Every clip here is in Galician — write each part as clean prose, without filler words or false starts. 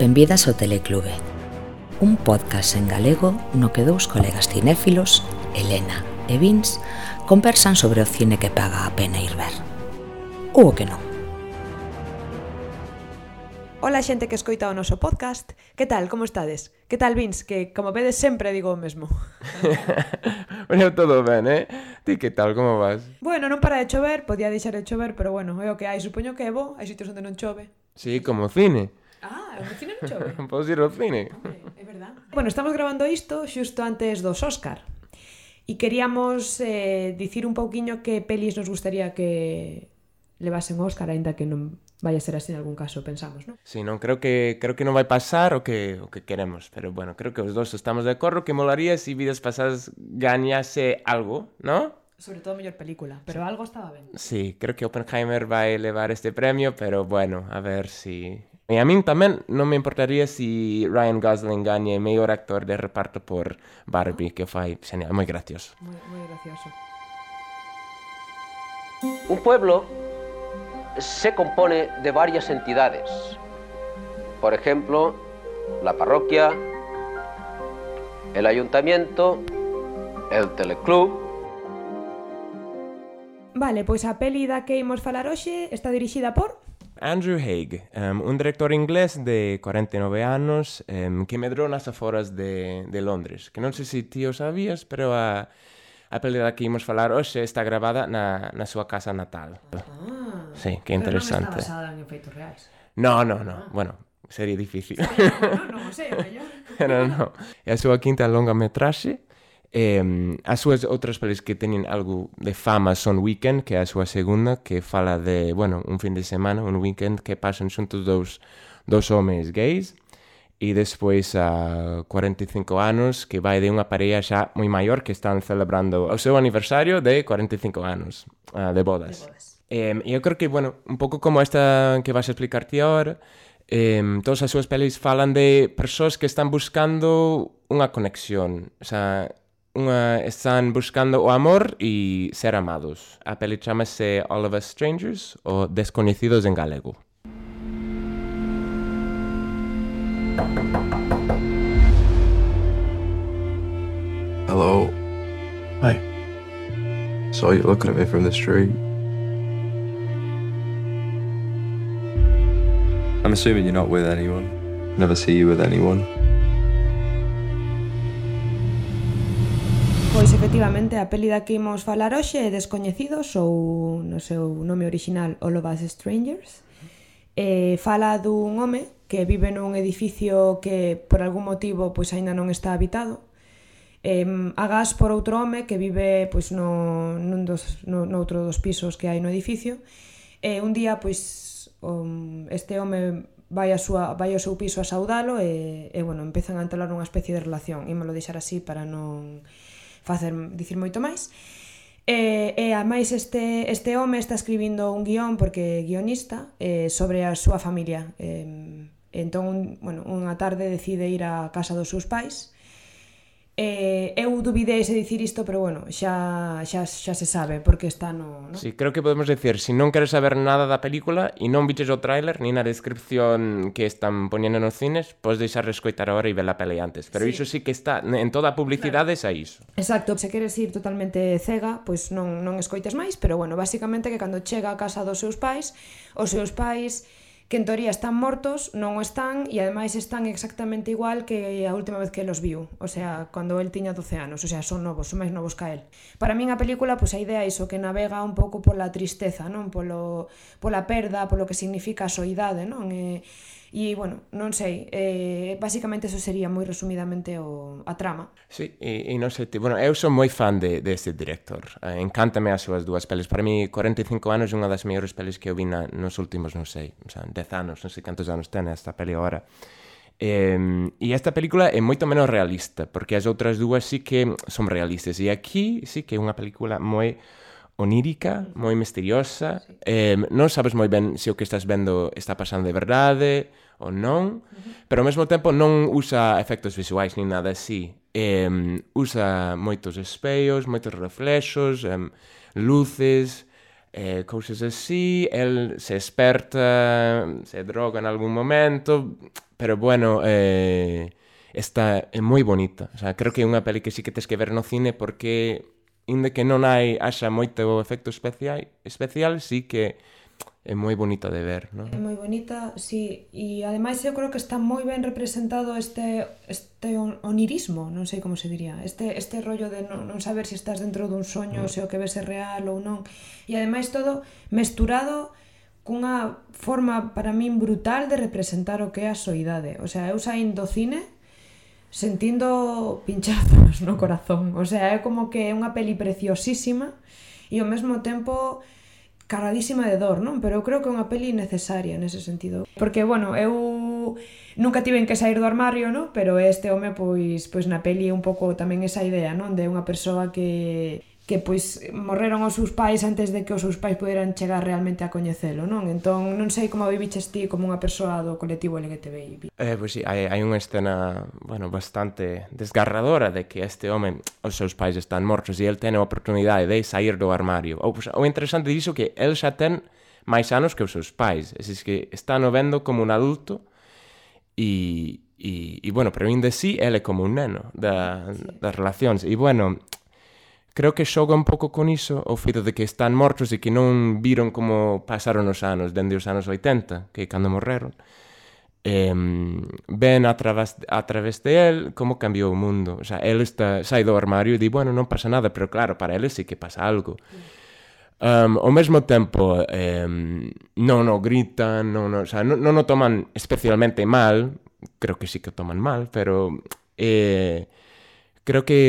Benvidas ao Teleclube, un podcast en galego no que dous colegas cinéfilos, Elena e Vince, conversan sobre o cine que paga a pena ir ver. Ou o que non. Ola xente que escoita o noso podcast. Que tal, como estades? Que tal, Vince? Que, como vedes, sempre digo o mesmo. Bueno, todo ben, Ti que tal, como vas? Bueno, non para de chover, podía deixar de chover, pero bueno, é o que hai, supoño que é bo, hai sitios onde non chove. Sí, como cine. Ah, o cine non chove? Podes ir ao cine. Hombre, é verdad. Bueno, estamos grabando isto xusto antes dos Óscar. E queríamos dicir un pouquiño que pelis nos gustaría que levasen Óscar, aínda que non vai a ser así en algún caso, pensamos, non? Sí, non, creo que non vai pasar o que queremos, pero bueno, creo que os dos estamos de acordo que molaría se Vidas Pasadas gañase algo, ¿no? Sobre todo mellor película, pero algo estaba ben. Sí, creo que Oppenheimer vai levar este premio, pero bueno, a ver si... E a min tamén non me importaría si Ryan Gosling gañe mellor actor de reparto por Barbie, que fai genial, moi gracioso. Moi gracioso. Un pueblo se compone de varias entidades. Por ejemplo, la parroquia, el ayuntamiento, el teleclub. Vale, pois a peli da que imos falar hoxe está dirixida por... Andrew Haig, un director inglés de 49 anos que medrou nas aforas de Londres. Que non sei se ti o sabías, pero a peli da que imos falar hoxe está gravada na súa casa natal. Sí, que interesante. Pero non está basada en efeitos reais. No. Bueno, sería difícil. Non o sei, mellor. Pero non. É a súa quinta longa metraxe. As súas outras pelis que teñen algo de fama son Weekend, que é a súa segunda, que fala de, bueno, un fin de semana, un weekend que pasan xuntos dous homes gays, e despois a 45 anos, que vai de unha parella xa moi maior que están celebrando o seu aniversario de 45 anos de bodas. E eu creo que, bueno, un pouco como esta que vas a explicar ti agora, todas as súas pelis falan de persoas que están buscando unha conexión, o sea, están buscando o amor e ser amados. A peli chamase All of Us Strangers, ou Desconhecidos en galego. Hello. Hi. Saw you looking at me from the street. I'm assuming you're not with anyone. Never see you with anyone. Pois efectivamente a peli da que imos falar hoxe é Descoñecidos, ou no seu nome original All of Us Strangers. Fala dun home que vive nun edificio que por algún motivo pois aínda non está habitado. Agás por outro home que vive pois noutro dos pisos que hai no edificio. Un día pois este home vai ao seu piso a saudalo e bueno, empezan a entalar unha especie de relación. Ímolo deixar así para non dicir moito máis. E ademais este home está escribindo un guión, porque é guionista, sobre a súa familia. Entón, bueno, unha tarde decide ir á casa dos seus pais. Eu dubidei se dicir isto, pero bueno, xa se sabe, porque está no... Sí, creo que podemos decir, se non queres saber nada da película e non viches o tráiler ni na descripción que están poñendo nos cines, podes deixar de escoitar agora e ver a peli antes. Pero iso sí que está, en toda a publicidade xa iso. Exacto, se queres ir totalmente cega, pois non escoites máis, pero bueno, basicamente que cando chega a casa dos seus pais, os seus pais, que en teoría están mortos, non o están, e ademais están exactamente igual que a última vez que los viu, o sea, cando el tiña 12 anos, o sea, son novos, son máis novos que el. Para min a película, pois a idea é iso, que navega un pouco pola tristeza, non? Pola perda, polo que significa a soidade, non? E, bueno, non sei, basicamente eso sería moi resumidamente a trama. Sí, e non sei, bueno, eu son moi fan deste director, encántame as súas dúas pelis. Para mí, 45 anos é unha das mellores pelis que eu vi nos últimos, non sei, o sea, 10 anos, non sei cantos anos ten esta peli agora. E esta película é moito menos realista, porque as outras dúas sí que son realistas, e aquí sí que é unha película moi onírica, moi misteriosa. Non sabes moi ben se o que estás vendo está pasando de verdade ou non, pero ao mesmo tempo non usa efectos visuais ni nada así. Usa moitos espellos, moitos reflexos, luces, cousas así, el se esperta, se droga en algún momento, pero bueno, esta é moi bonita. O sea, creo que é unha peli que sí que tes que ver no cine porque, inda que non haxa moito efecto especial, sí que é moi bonita de ver, non? É moi bonita, sí, e ademais eu creo que está moi ben representado este onirismo, non sei como se diría, este rollo de non saber se estás dentro dun soño, se o que ves é real ou non, e ademais todo mesturado cunha forma para min brutal de representar o que é a soidade. O sea, eu saín do cine sentindo pinchazos no corazón, o sea, é como que é unha peli preciosísima e ao mesmo tempo cargadísima de dor, non? Pero eu creo que é unha peli necesaria nese sentido. Porque, bueno, eu nunca tiven que sair do armario, non? Pero este home, pois na peli é un pouco tamén esa idea, non? De unha persoa que pois morreron os seus pais antes de que os seus pais poderan chegar realmente a coñecelo, non? Entón, non sei como viviches ti como unha persoa do colectivo LGTBI. Pois sí, hai unha escena, bueno, bastante desgarradora de que este home, os seus pais están mortos e el ten a oportunidade de sair do armario. O interesante diso que el xa ten máis anos que os seus pais, é que está no vendo como un adulto e bueno, pero ainda así, ele é como un neno das relacións. E bueno, creo que xoga un pouco con iso o feito de que están mortos e que non viron como pasaron os anos, dende os anos 80, que cando morreron. Ven a través de él como cambiou o mundo. O sea, él sai do armario e di, bueno, non pasa nada, pero claro, para él sí que pasa algo. Ao mesmo tempo, non o gritan, non o toman especialmente mal, creo que sí que o toman mal, pero creo que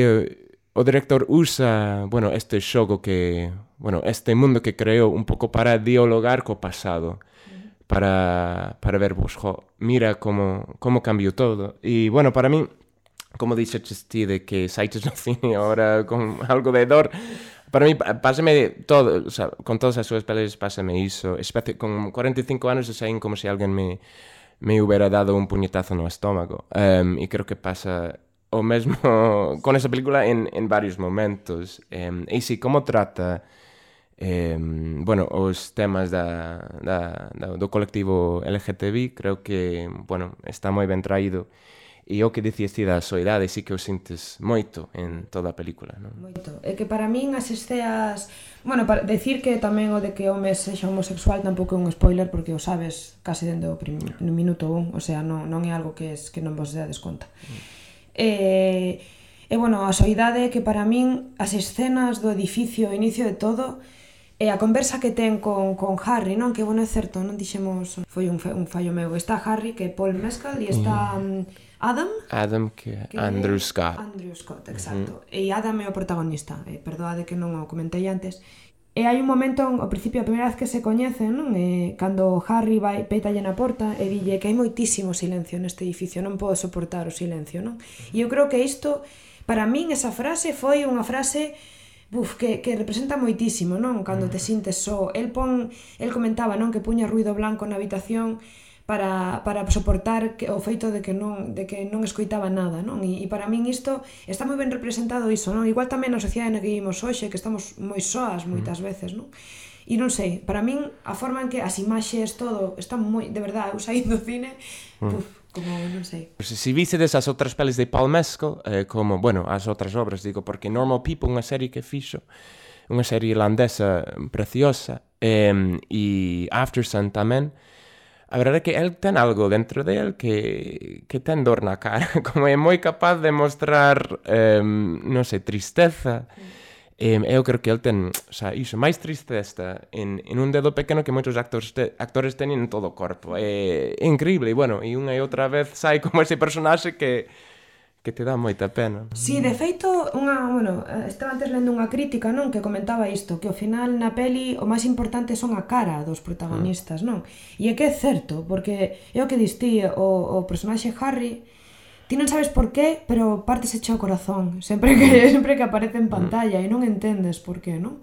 o director usa, bueno, este xogo que, bueno, este mundo que creou un pouco para dialogar co pasado, para ver, pues, mira como cambiou todo. E, bueno, para mí, como dixeches ti de que saites no cine agora con algo de dor, para mí, pásame todo, o sea, con todas as súas peles, pásame iso, con 45 anos, saín como se alguén me hubiera dado un puñetazo no estómago, e creo que pasa o mesmo con esa película en varios momentos. E si, como trata bueno, os temas do colectivo LGTBI, creo que, bueno, está moi ben traído. E o que dicías ti da soidade, sí que o sintes moito en toda a película, non? Moito. É que para min as esceas... Bueno, para decir que tamén o de que o home sexa homosexual tampouco é un spoiler, porque o sabes case dende o minuto 1, o sea, non é algo que non vos dades conta. E bueno, a soidade que para min as escenas do edificio, o inicio de todo, e a conversa que ten con Harry, non? Que, bueno, é certo, non dixemos, foi un fallo meu. Está Harry, que é Paul Mescal, e está Adam, que é Andrew Scott. Andrew Scott, exacto. E Adam é o protagonista, perdoade que non o comentei antes. E hai un momento, ao principio, a primeira vez que se coñecen, non? Cando Harry vai, pétalle na porta e dille que hai moitísimo silencio neste edificio, non podo soportar o silencio, non? E eu creo que isto, para min, esa frase foi unha frase que representa moitísimo, non? Cando te sintes só. El comentaba, non? Que puña ruido blanco na habitación para soportar o feito de que non escoitaba nada, non? E para min isto está moi ben representado iso, non? Igual tamén na sociedade na que vivimos hoxe, que estamos moi soas moitas veces, non? E non sei, para min a forma en que as imaxes, todo, está moi, de verdade, eu saí do cine, como, non sei. Si vistedes as outras pelis de Paul Mescal, como, bueno, as outras obras, digo, porque Normal People, unha serie que fixo, unha serie irlandesa preciosa, e Aftersun tamén, a verdade é que el ten algo dentro de él que ten dor na cara, como é moi capaz de mostrar, non sei, tristeza. Eu creo que el ten, o sea, iso, máis tristeza en un dedo pequeno que moitos actores teñen en todo o corpo. É increíble, e bueno, e unha e outra vez sai como ese personaxe que te dá moita pena. Si, de feito, estaba antes lendo unha crítica, non? Que comentaba isto, que ao final na peli o máis importante son a cara dos protagonistas, non? E é que é certo, porque é o que distí, o personaxe Harry, ti non sabes por qué, pero partese o corazón sempre que aparece en pantalla e non entendes por qué, non?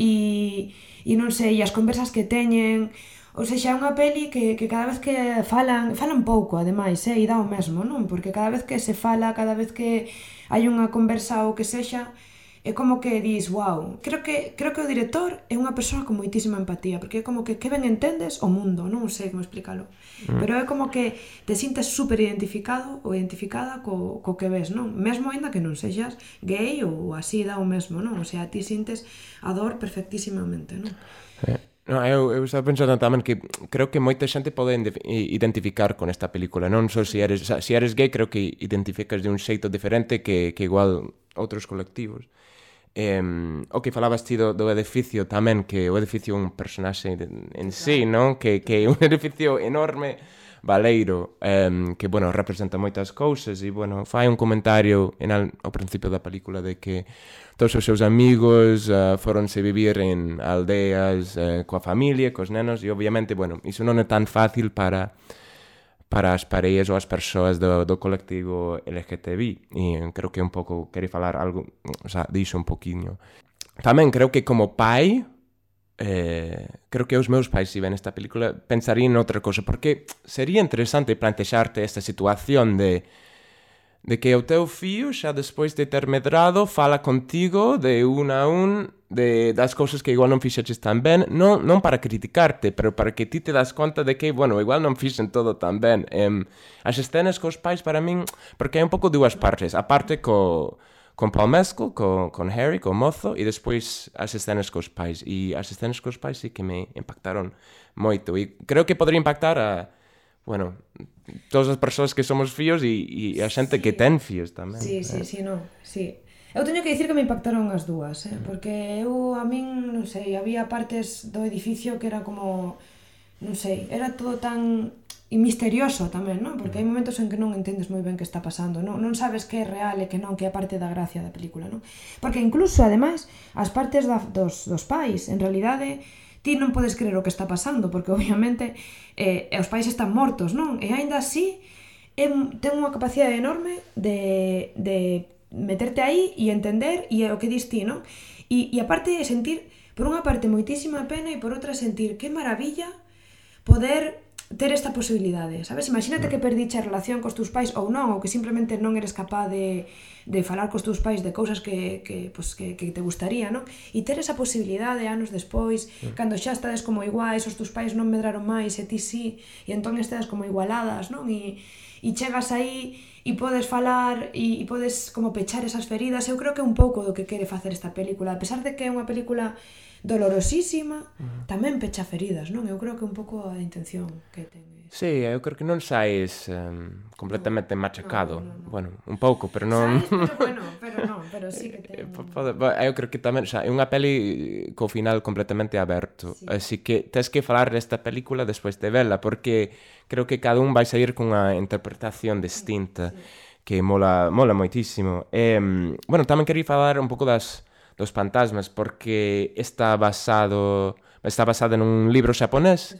E non sei, as conversas que teñen... Ou seja, é unha peli que cada vez que falan pouco, ademais, e dá o mesmo, non? Porque cada vez que se fala, cada vez que hai unha conversa ou que sexa, é como que dis, wow, creo que o director é unha persoa con moitísima empatía, porque é como que ben entendes o mundo, non sei como explicarlo, pero é como que te sintes super identificado ou identificada co que ves, non? Mesmo ainda que non sexas gay ou así dá o mesmo, non? O sea, ti sintes a dor perfectísimamente, non? No, eu estaba pensando tamén que creo que moita xente pode identificar con esta película, non só se eres gay, creo que identificas de un xeito diferente que igual outros colectivos. O que falabas ti do edificio tamén, que o edificio é un personaxe en sí, non? Que é un edificio enorme, baleiro, que, bueno, representa moitas cousas e, bueno, fai un comentario ao principio da película de que todos os seus amigos foronse vivir en aldeas coa familia, cos nenos, e obviamente, bueno, iso non é tan fácil para as parellas ou as persoas do colectivo LGTBI, e creo que un pouco quere falar algo, o sea, dixo un poquinho. Tamén creo que como pai, creo que os meus pais, se ven esta película, pensarían noutra cosa, porque sería interesante plantexarte esta situación de que o teu fillo, xa despois de ter medrado, fala contigo de un a un das cousas que igual non fixeches tan ben, non para criticarte, pero para que ti te das conta de que, bueno, igual non fixen todo tan ben. As escenas cos pais, para min, porque hai un pouco dúas partes, a parte con Paul Mescal, con Harry, con mozo, e despois as escenas cos pais. E as escenas cos pais sí que me impactaron moito. E creo que podría impactar a, bueno, todas as persoas que somos fillos e a xente que ten fillos tamén. Sí, non, sí. Eu teño que dicir que me impactaron as dúas, porque a min, non sei, había partes do edificio que era como, non sei, era todo tan misterioso tamén, non? Porque hai momentos en que non entendes moi ben que está pasando, non sabes que é real e que non, que é parte da gracia da película, non? Porque incluso, ademais, as partes dos pais, en realidade, ti non podes creer o que está pasando, porque obviamente os pais están mortos, non? E aínda así ten unha capacidade enorme de meterte aí e entender e o que dis ti, non? E aparte de sentir, por unha parte, moitísima pena e por outra sentir que maravilla poder ter esta posibilidade, sabes? Imagínate que perdiche a relación cos teus pais ou non, ou que simplemente non eres capaz de falar cos teus pais de cousas que te gustaría, non? E ter esa posibilidade anos despois, cando xa estades como iguais, os teus pais non medraron máis e ti sí, e entón estades como igualadas, non? E chegas aí e podes falar e podes como pechar esas feridas. Eu creo que é un pouco do que quere facer esta película, a pesar de que é unha película dolorosísima, tamén pecha feridas, non? Eu creo que é un pouco a intención que ten. Sí, eu creo que non saes completamente machacado. No. Bueno, un pouco, pero non... Saes, pero sí que ten... Eu creo que tamén, xa, é unha peli co final completamente aberto, sí. Así que tes que falar desta película despois de vela, porque creo que cada un vai sair cunha interpretación distinta, que mola moitísimo. Bueno, tamén quería falar un pouco dos fantasmas, porque está basado nun libro xaponés,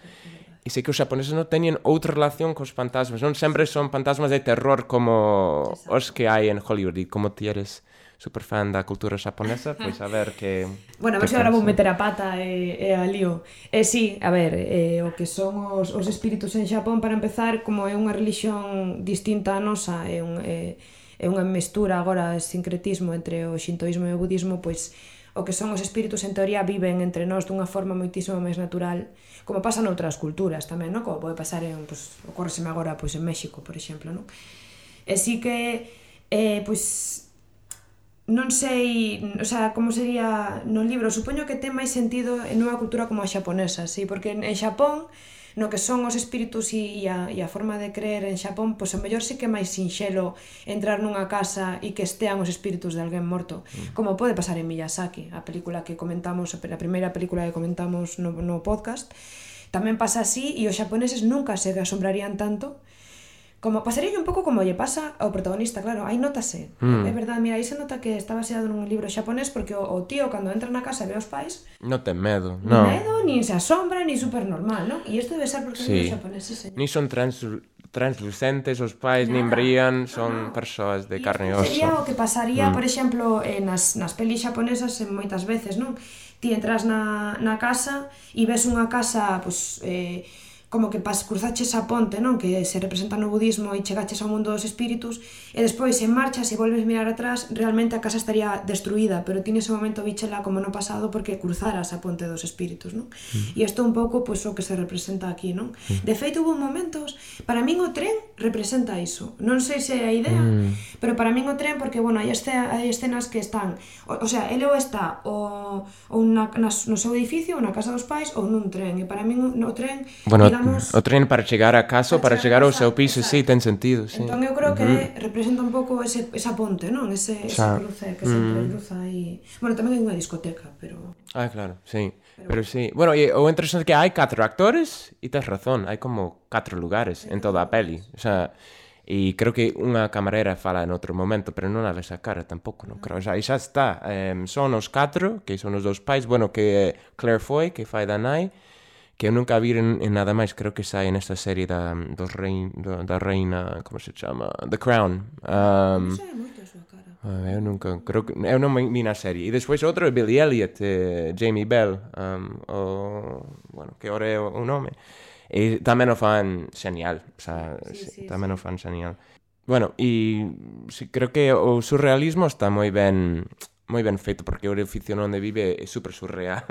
e sei que os xaponeses non teñen outra relación cos fantasmas, non sempre son fantasmas de terror como os que hai en Hollywood. E como ti eres super fan da cultura xaponesa, pois a ver que... Bueno, a ver se agora vou meter a pata e a lío. Sí, a ver, o que son os espíritus en Xapón, para empezar, como é unha religión distinta a nosa, é unha mestura agora, sincretismo entre o xintoísmo e o budismo, pois o que son os espíritus en teoría viven entre nós dunha forma moitísimo máis natural, como pasa noutras culturas tamén, non? Como pode pasar ocórreseme agora en México, por exemplo, non? E si que, non sei, o sea, como sería no libro, supoño que ten máis sentido en unha cultura como a xaponesa, sí, porque en Xapón, no que son os espíritus e a forma de creer en Xapón, pois a mellor sí que é máis sinxelo entrar nunha casa e que estean os espíritus de alguén morto, como pode pasar en Miyazaki, a película que comentamos, a primeira película que comentamos no podcast. Tamén pasa así, e os xaponeses nunca se asombrarían tanto, como pasaría un pouco como lle pasa ao protagonista, claro, aí notase. É verdade, mira, aí se nota que está baseado nun libro xaponés, porque o tío, cando entra na casa e ve os pais, non ten medo, non. Medo, nin se asombra, nin super normal, non? E isto debe ser porque sí. Os xaponeses, nin son translucentes os pais, nin brillan, son persoas de carne e oso. Sería o que pasaría, por exemplo, nas pelis xaponesas moitas veces, non? Ti entras na casa e ves unha casa, como que cruzaches a ponte, non? Que se representa no budismo e chegaches ao mundo dos espíritus e despois en marchas e volves mirar atrás, realmente a casa estaría destruída, pero ti nese momento víchela como no pasado porque cruzaras a ponte dos espíritus, non? E isto un pouco pois, o que se representa aquí, non? De feito, hubo momentos, para min o tren representa iso, non sei se é a idea, pero para min o tren, porque, bueno, hai escenas que están, o sea, ele ou está ou no seu edificio, ou na casa dos pais, ou nun tren, e para min o tren, Bueno, digamos, o tren para chegar a casa, para chegar ao seu piso, sí, ten sentido, sí. Entón eu creo que representa un pouco esa ponte, non? Ese cruce que sempre cruza aí. Bueno, tamén hai unha discoteca, pero... Ah, claro, sí. Pero sí. Bueno, e o interesante é que hai 4 actores e tes razón, hai como 4 lugares en toda a peli. O sea, e creo que unha camarera fala en outro momento, pero non a ves a cara tampouco, non creo. O sea, e xa está. Son os 4, que son os dous pais, bueno, que Claire Foy, que fai da nai, que eu nunca vi en nada máis, creo que sai nesta serie da reina, como se chama? The Crown. Non sei moito a súa cara. Eu nunca, creo que eu non vi na serie. E despois outro é Billy Elliot, Jamie Bell, bueno, que ora é o nome. E tamén o fan xenial, o sea, tamén o fan xenial. Bueno, e creo que o surrealismo está moi ben feito, porque o edificio onde vive é super surreal.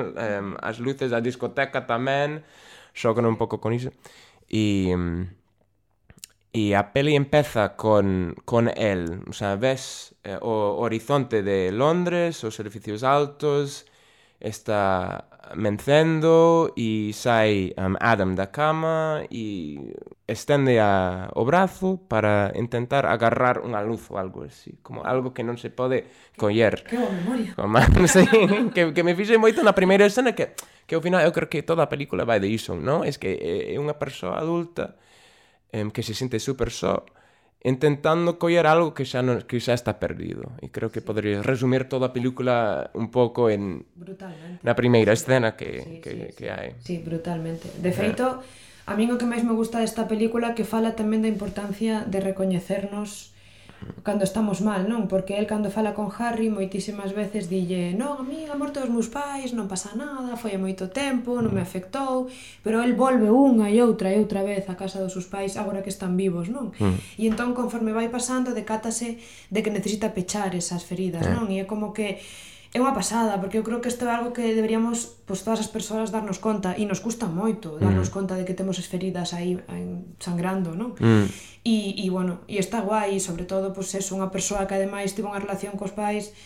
As luces da discoteca tamén xogan un pouco con iso. E a peli empeza con el, o sea, ves o horizonte de Londres, os edificios altos, está mencendo e sai Adam da cama e estende o brazo para intentar agarrar unha luz ou algo así, como algo que non se pode coller. Que boa memoria. Sí, que me fixe moito na primeira escena que ao final eu creo que toda a película vai de iso, non? É que é unha persoa adulta que se sente super só intentando coller algo que xa está perdido. E creo que podría resumir toda a película un pouco na primeira escena que hai. Sí, brutalmente. De feito, a min o que máis me gusta desta película que fala tamén da importancia de recoñecernos cando estamos mal, non? Porque el cando fala con Harry moitísimas veces dille non, a mí a morte dos meus pais non pasa nada, foi hai moito tempo, non me afectou, pero el volve unha e outra vez a casa dos seus pais agora que están vivos, non? E entón conforme vai pasando decátase de que necesita pechar esas feridas, non? E é como que é unha pasada, porque eu creo que isto é algo que deberíamos, pois, todas as persoas darnos conta, e nos custa moito darnos conta de que temos as feridas aí sangrando, non? E bueno, e está guai, sobre todo, pois, é unha persoa que ademais tivo unha relación cos pais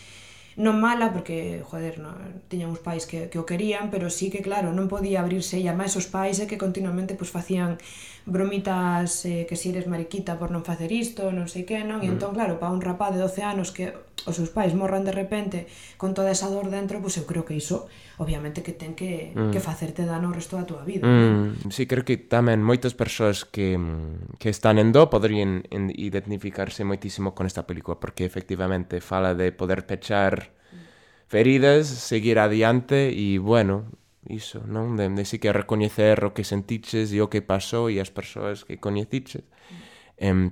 non mala, porque, joder, tiñan uns pais que o querían, pero sí que, claro, non podía abrirse, e ademais os pais que continuamente pois facían bromitas que si eres mariquita por non facer isto, non sei que, non? E entón, claro, para un rapaz de 12 anos que os seus pais morran de repente con toda esa dor dentro, pois eu creo que iso, obviamente, que ten que facerte dano o resto da túa vida. Sí, creo que tamén moitas persoas que están en do poderían identificarse moitísimo con esta película, porque efectivamente fala de poder pechar feridas, seguir adiante e, bueno, iso, non? De sí que recoñecer o que sentiches e o que pasou e as persoas que coñeciches,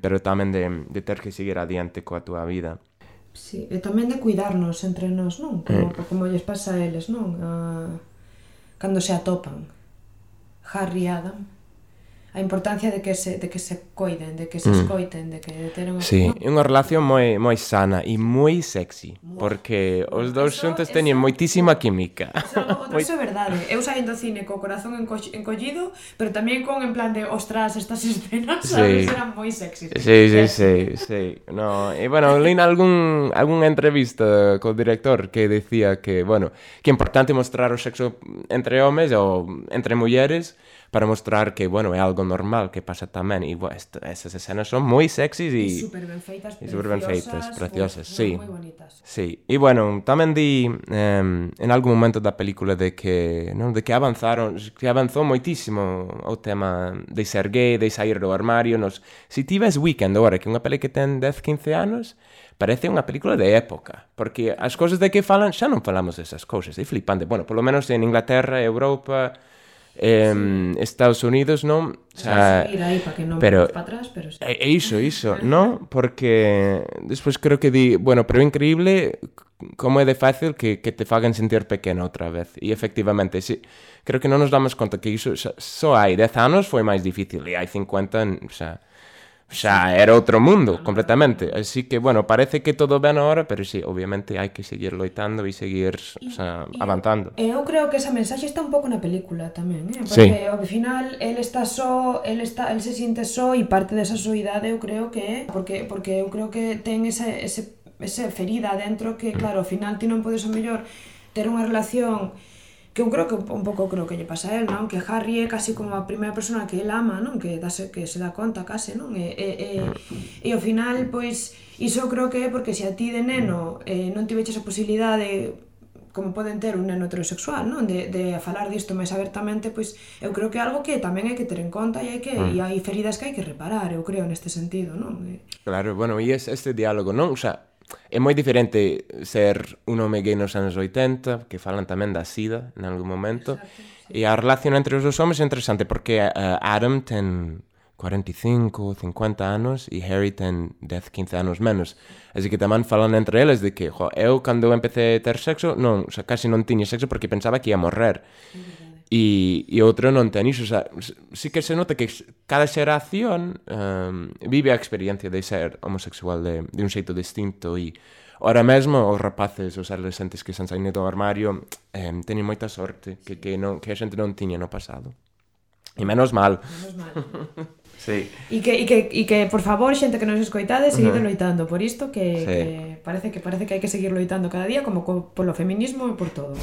pero tamén de ter que seguir adiante coa túa vida. Sí, e tamén de cuidarnos entre nós, non? Como lles pasa a eles, non? Cando se atopan Harry e Adam, a importancia de que se coiden, de que se escoiten, de que teren... Sí, é unha relación moi sana e moi sexy, porque os dous xuntos teñen moitísima química. Iso é verdade. Eu saí do cine co corazón encollido, pero tamén con en plan de, ostras, estas escenas, sabes, eran moi sexys. Sí. No, e bueno, leí algunha entrevista co director que decía que, bueno, que é importante mostrar o sexo entre homes ou entre mulleres para mostrar que, bueno, é algo normal que pasa tamén. E, bueno, esas escenas son moi sexys e super ben feitas, preciosas, sí. Moi bonitas. Sí, e, bueno, tamén di en algún momento da película de que avanzou moitísimo o tema de ser gay, de sair do armario. Si ti ves Weekend agora, que é unha peli que ten 10-15 anos, parece unha película de época, porque as cousas de que falan, xa non falamos desas cousas, é flipante. Bueno, polo menos en Inglaterra, Europa, Estados Unidos, non? O sea, seguir aí para que non pero para atrás, pero sí. Iso, non? Porque despois creo que bueno, pero é increíble como é de fácil que te fagan sentir pequeno outra vez. E efectivamente, sí, creo que non nos damos conta que iso só hai 10 anos foi máis difícil e hai 50, xa era outro mundo, completamente. Así que, bueno, parece que todo ben ahora, pero sí, obviamente hai que seguir loitando e seguir avanzando. Eu creo que esa mensaxe está un pouco na película tamén, porque Sí. ao final el está só, el se siente só e parte desa soidade eu creo que é porque eu creo que ten esa ferida dentro que, claro, ao final ti non podes ao mellor ter unha relación que eu creo que un pouco creo que lle pasa a él, non? Que Harry é casi como a primeira persona que el ama, non? Que se dá conta case, non? E ao final, pois, iso eu creo que é porque se a ti de neno non tiveches a posibilidade como poden ter un neno heterosexual, non? De falar disto máis abertamente, pois eu creo que é algo que tamén hai que ter en conta e hai feridas que hai que reparar, eu creo, neste sentido, non? Claro, bueno, e este diálogo, non? O sea, é moi diferente ser un home gay nos anos 80, que falan tamén da sida en algún momento. Exacto, sí. E a relación entre os dos homes é interesante porque Adam ten 45, 50 anos e Harry ten 10, 15 anos menos. Así que tamén falan entre eles de que, eu cando empecé a ter sexo, non, o sea, casi non tiña sexo porque pensaba que ia morrer. E outro non ten iso, o sea, sí que se nota que cada xeración vive a experiencia de ser homosexual de un xeito distinto e ahora mesmo os rapaces, os adolescentes que están saindo do armario teñen moita sorte que a xente non tiña no pasado. E menos mal. Sí. E que, por favor, xente que nos escoitade, seguide loitando por isto, que parece que hai que seguir loitando cada día como polo feminismo e por todo.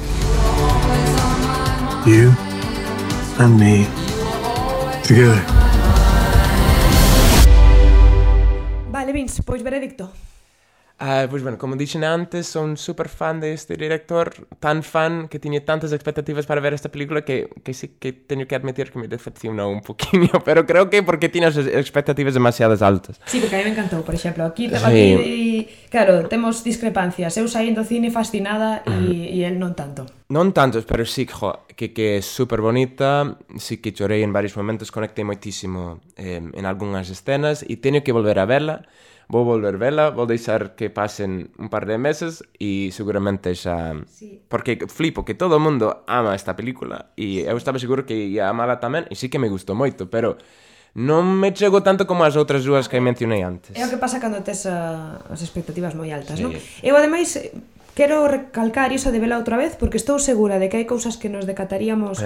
You and me together. Vale, Vince, pois veredicto. Pois, bueno, como dixen antes, son super fan deste director, tan fan que tiña tantas expectativas para ver esta película que sí que teño que admitir que me decepcionou un poquinho, pero creo que porque tiña as expectativas demasiadas altas. Sí, porque a mí me encantou, por exemplo, aquí claro, temos discrepancias, eu saíndo do cine fascinada e el non tanto. Non tantos, pero sí que é super bonita, sí que chorei en varios momentos, conectei moitísimo en algunhas escenas e teño que volver a verla. Vou volver vela, vou deixar que pasen un par de meses e seguramente xa... Sí. Porque flipo que todo o mundo ama esta película e eu estaba seguro que ia amala tamén e sí que me gustou moito, pero non me chego tanto como as outras dúas que mencionei antes. É o que pasa cando tes as expectativas moi altas, sí. Non? Eu, ademais, quero recalcar iso de vela outra vez porque estou segura de que hai cousas que nos decataríamos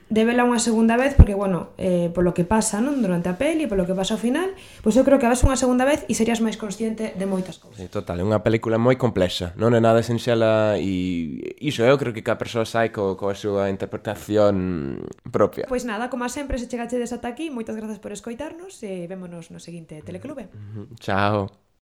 de vela unha segunda vez porque, bueno, polo que pasa, non? Durante a peli, polo que pasa ao final, pois eu creo que a ves unha segunda vez e serías máis consciente de moitas cousas. Sí, total, é unha película moi complexa, non é nada sinxela e iso eu creo que cada persoa sai coa súa interpretación propia. Pois nada, como sempre, se chegachedes ata aquí, moitas grazas por escoitarnos e vémonos no seguinte Teleclube. Chao.